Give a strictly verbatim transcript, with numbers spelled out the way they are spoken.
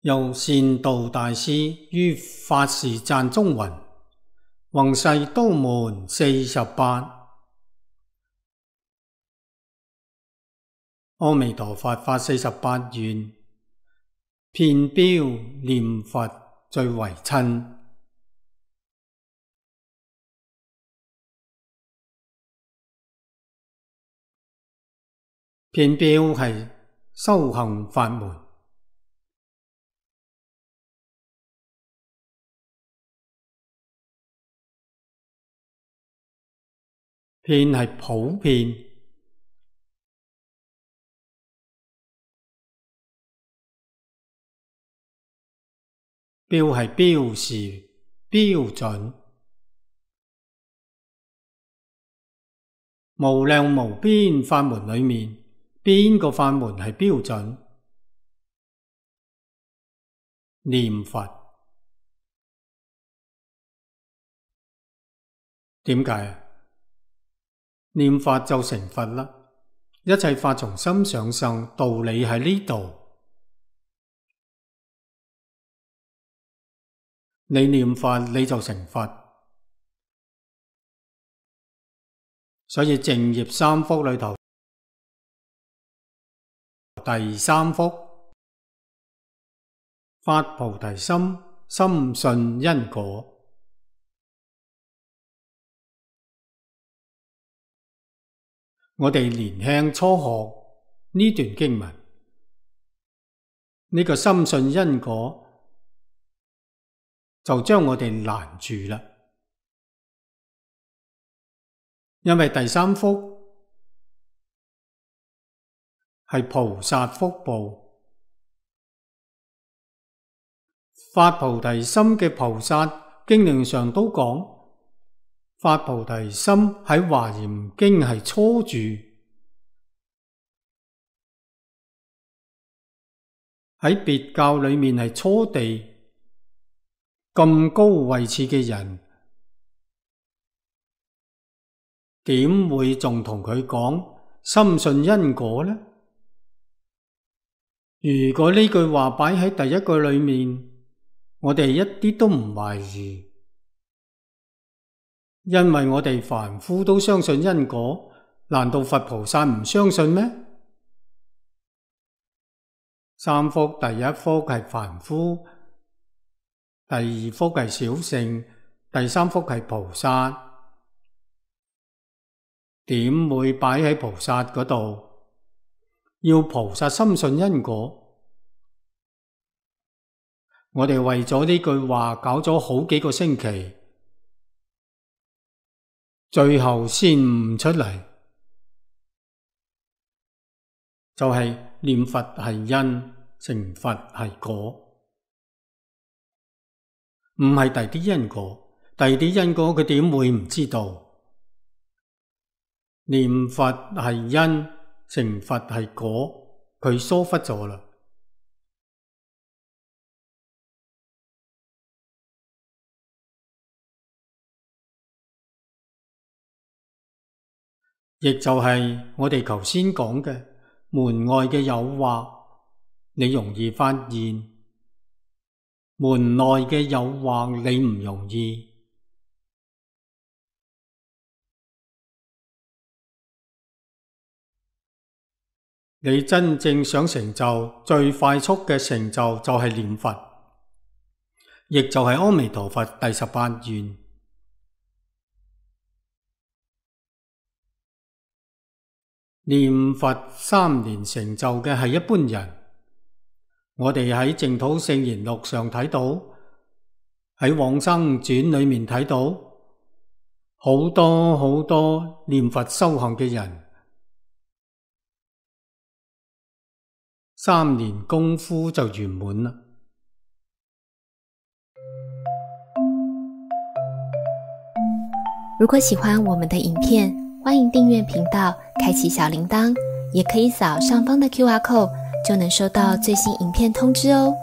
由善導大師於法事讚中云：宏誓都門四十八。阿彌陀佛法四十八願，遍標念佛最為親。遍標係修行法門，遍係普遍，標係標示標準，無量無邊法門裏面，邊個法門係標準？念佛。點解啊？念佛就成佛啦！一切法從心想生，道理喺呢度。你念佛你就成佛。所以淨業三福裏頭，第三福，發菩提心，深信因果。我哋年輕初學呢段經文，呢個深信因果就將我哋攔住啦。因為第三福係菩薩福報，發菩提心嘅菩薩經論上都講，發菩提心喺華嚴經係初住，喺別教裏面係初地。咁高位次嘅人，點會仲同佢講深信因果呢？如果呢句話擺喺第一句裏面，我哋一啲都唔懷疑。因為我哋凡夫都相信因果，難道佛菩薩唔相信咩？三福，第一福係凡夫，第二福係小乘，第三福係菩薩。點會擺喺菩薩嗰度？要菩薩深信因果。我哋為咗呢句話搞咗好幾個星期，最後先悟出嚟，就係、是、念佛係因，成佛係果，唔係第啲因果。第啲因果佢點會唔知道？念佛係因，成佛係果，佢疏忽咗啦。亦就係我哋頭先講嘅門外嘅誘惑，你容易發現；門內嘅誘惑，你唔容易。你真正想成就最快速嘅成就，就係念佛，亦就係阿彌陀佛第十八願。念佛三年成就嘅係一般人，我哋喺淨土聖賢錄上睇到，喺往生傳裏面睇到，好多好多念佛修行嘅人，三年功夫就圓滿啦。如果喜歡我們的影片，歡迎訂閱頻道，開啟小鈴鐺，也可以掃上方的 Q R code，就能收到最新影片通知哦。